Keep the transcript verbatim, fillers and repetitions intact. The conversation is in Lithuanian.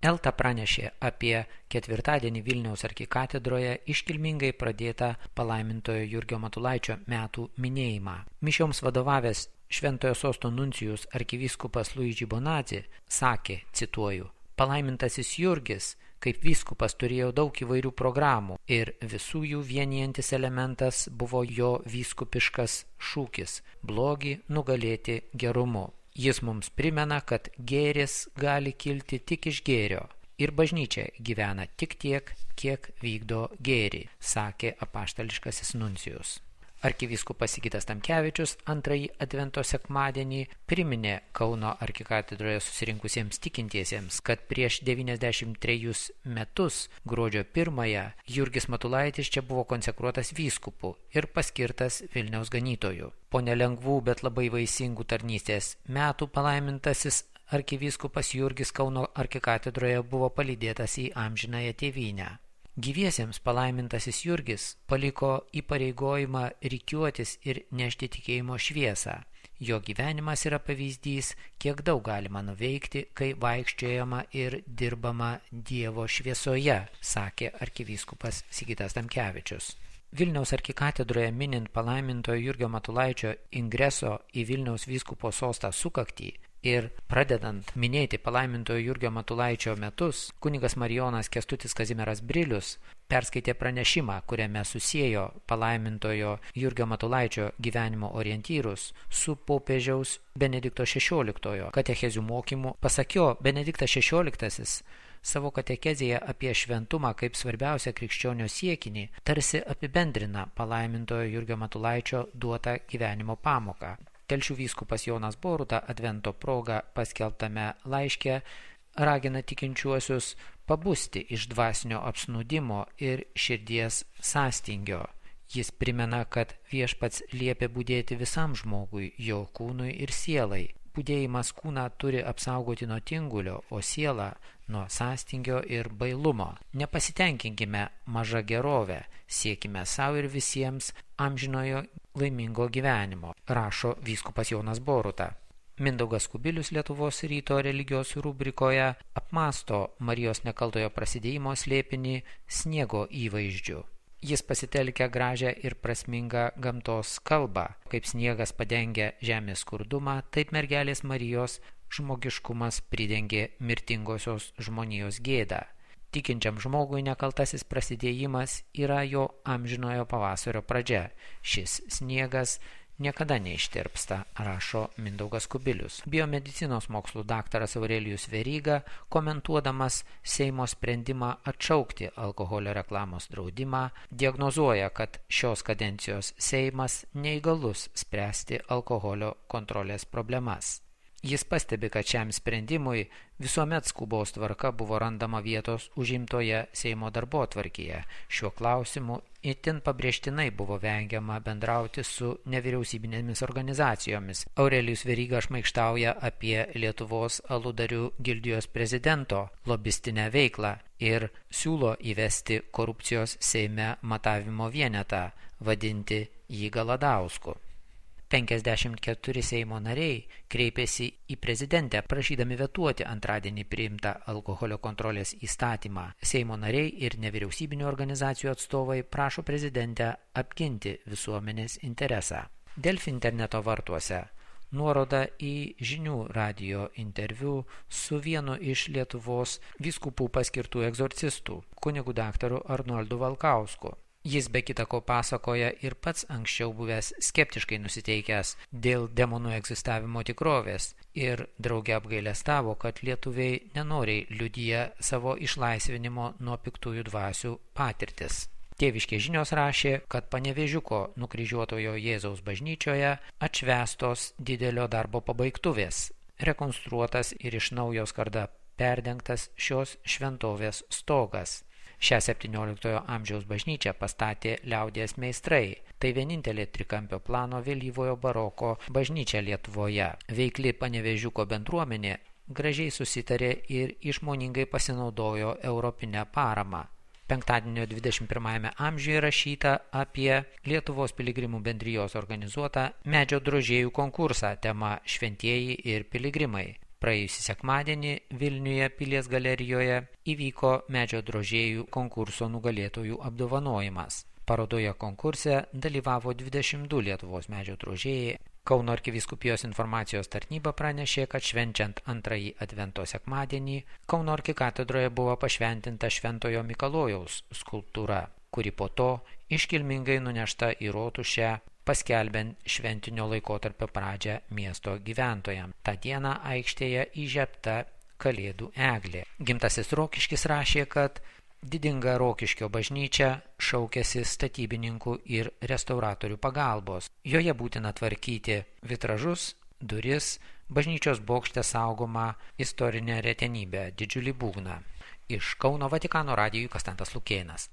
Elta pranešė apie ketvirtadienį Vilniaus arkikatedroje iškilmingai pradėtą palaimintojo Jurgio Matulaičio metų minėjimą. Mišioms vadovavęs Šventojo Sosto nuncijus arkivyskupas Luigi Bonazzi sakė, cituoju, palaimintasis Jurgis kaip vyskupas turėjo daug įvairių programų ir visų jų vienijantis elementas buvo jo vyskupiškas šūkis – blogį nugalėti gerumu. Jis mums primena, kad gėris gali kilti tik iš gėrio ir bažnyčia gyvena tik tiek, kiek vykdo gėrį, sakė apaštališkasis nuncijus. Arkivyskupas Sigitas Tamkevičius antrąjį advento sekmadienį priminė Kauno arkikatedroje susirinkusiems tikintiesiems, kad prieš devyniasdešimt trejus metus gruodžio pirmąją Jurgis Matulaitis čia buvo konsekruotas vyskupu ir paskirtas Vilniaus ganytoju. Po nelengvų, bet labai vaisingų tarnystės metų palaimintasis arkivyskupas Jurgis Kauno arkikatedroje buvo palydėtas į amžinąją tėvynę. Gyviesiems palaimintasis Jurgis paliko įpareigojimą rikiuotis ir nešti tikėjimo šviesą. Jo gyvenimas yra pavyzdys, kiek daug galima nuveikti, kai vaikščiojama ir dirbama Dievo šviesoje, sakė arkivyskupas Sigitas Tamkevičius. Vilniaus arkikatedroje minint palaimintojo Jurgio Matulaičio ingreso į Vilniaus vyskupo sostą sukaktį ir pradedant minėti palaimintojo Jurgio Matulaičio metus, kunigas Marijonas Kęstutis Kazimieras Brilius perskaitė pranešimą, kuriame susiejo palaimintojo Jurgio Matulaičio gyvenimo orientyrus su popiežiaus Benedikto šešioliktojo katechezių mokymu. Pasak jo, Benediktas šešioliktasis savo katekezėje apie šventumą kaip svarbiausią krikščionio siekinį tarsi apibendrina palaimintojo Jurgio Matulaičio duotą gyvenimo pamoką. Telšių vyskupas Jonas Boruta advento proga paskelbtame laiške ragina tikinčiuosius pabusti iš dvasinio apsnūdimo ir širdies sąstingio. Jis primena, kad viešpats liepia budėti visam žmogui, jo kūnui ir sielai. Budėjimas kūną turi apsaugoti nuo tingulio, o sielą nuo sąstingio ir bailumo. Nepasitenkinkime maža gerove, siekime savo ir visiems amžinojo laimingo gyvenimo, rašo vyskupas Jonas Boruta. Mindaugas Kubilius Lietuvos ryto religijos rubrikoje apmąsto Marijos nekaltojo prasidėjimo slėpinį sniego įvaizdžiu. Jis pasitelkia gražią ir prasmingą gamtos kalbą. Kaip sniegas padengia žemės skurdumą, taip mergelės Marijos žmogiškumas pridengė mirtingosios žmonijos gėdą. Tikinčiam žmogui nekaltasis prasidėjimas yra jo amžinojo pavasario pradžia. Šis sniegas niekada neištirpsta, rašo Mindaugas Kubilius. Biomedicinos mokslų daktaras Aurelijus Veryga, komentuodamas Seimo sprendimą atšaukti alkoholio reklamos draudimą, diagnozuoja, kad šios kadencijos Seimas neįgalus spręsti alkoholio kontrolės problemas. Jis pastebi, kad šiam sprendimui visuomet skubos tvarka buvo randama vietos užimtoje Seimo darbotvarkėje. Šiuo klausimu itin pabrėžtinai buvo vengiama bendrauti su nevyriausybinėmis organizacijomis. Aurelijus Veryga šmaikštauja apie Lietuvos aludarių gildijos prezidento lobistinę veiklą ir siūlo įvesti korupcijos Seime matavimo vienetą, vadinti jį Galadausku. penkiasdešimt keturi Seimo nariai kreipėsi į prezidentę prašydami vetuoti antradienį priimtą alkoholio kontrolės įstatymą. Seimo nariai ir nevyriausybinių organizacijų atstovai prašo prezidentę apginti visuomenės interesą. Delfi interneto vartuose nuoroda į žinių radijo interviu su vienu iš Lietuvos vyskupų paskirtų egzorcistų, kunigu daktaru Arnoldu Valkausku. Jis be kita ko pasakoja ir pats anksčiau buvęs skeptiškai nusiteikęs dėl demonų egzistavimo tikrovės ir drauge apgailestavo, kad lietuviai nenoriai liudija savo išlaisvinimo nuo piktųjų dvasių patirtis. Tėviškės žinios rašė, kad Panevėžiuko nukryžiuotojo Jėzaus bažnyčioje atšvęstos didelio darbo pabaigtuvės, rekonstruotas ir iš naujo skarda perdengtas šios šventovės stogas. Šią septynioliktojo amžiaus bažnyčią pastatė liaudies meistrai. Tai vienintelė trikampio plano vėlyvojo baroko bažnyčia Lietuvoje. Veikli Panevėžiuko bendruomenė gražiai susitarė ir išmoningai pasinaudojo europinę paramą. Penktadienio dvidešimt pirmajame amžiuje rašyta apie Lietuvos piligrimų bendrijos organizuotą medžio drožėjų konkursą tema Šventieji ir piligrimai. Praėjusį sekmadienį Vilniuje Pilies galerijoje įvyko medžio drožėjų konkurso nugalėtojų apdovanojimas. Parodoje konkurse dalyvavo dvidešimt du Lietuvos medžio drožėjai. Kauno arkivyskupijos informacijos tarnyba pranešė, kad švenčiant antrąjį advento sekmadienį Kauno arkikatedroje buvo pašventinta Šventojo Mikalojaus skulptūra, kuri po to iškilmingai nunešta į rotušę, paskelbiant šventinio laikotarpio pradžią miesto gyventojams. Ta diena aikštėje įžiebta Kalėdų eglė. Gimtasis Rokiškis rašė, kad didinga Rokiškio bažnyčia šaukėsi statybininkų ir restauratorių pagalbos. Joje būtina tvarkyti vitražus, duris, bažnyčios bokšte saugomą istorinę retenybę, didžiulį būgną. Iš Kauno Vatikano radijui Konstantas Lukėnas.